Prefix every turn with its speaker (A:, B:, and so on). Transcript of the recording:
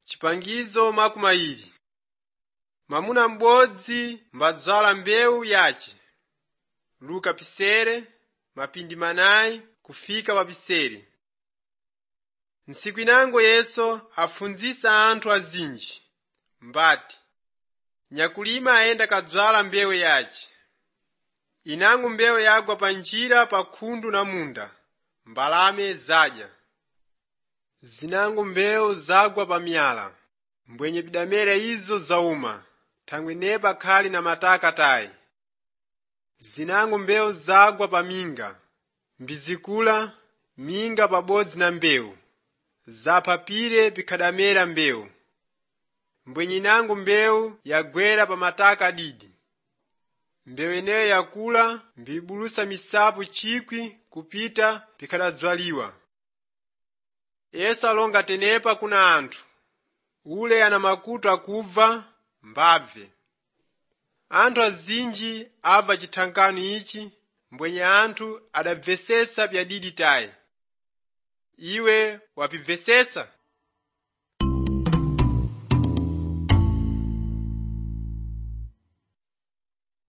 A: Chipangizo makumairi. Mwamuna m'bodzi mbadzala mbewu yace. Luka pisere, mapindi manayi kufika papisere. Ntsiku inango Yesu afunzisa anthu azinji. Mbati, nyakulima ayenda kadzala mbewu yace. Inango mbewu yagwa panjira pa khundu na munda, mbalame zadya. Zinango mbewu zagwa pa miyala, mbwenye bidamera izo zauma, thangwe nepa khali na mataka tayi. Zinango mbewu zagwa pa minga, mbizikula, minga pabodzi na mbewu. Zapapire pikhadamera mbewu. Mbwenye inango mbewu yagwera pa mataka didi. Mbewu ineyo yakula, mbibulusa misapu chikwi kupita pikhadadzwaliwa. Yesu alonga tenepa kuna anthu. Ule ana makutu akubva, mbabve. Anthu azinji abva chithankano ichi, mbwenye anthu adabvesesa pyadidi tayi. Iwe wapibvesesa?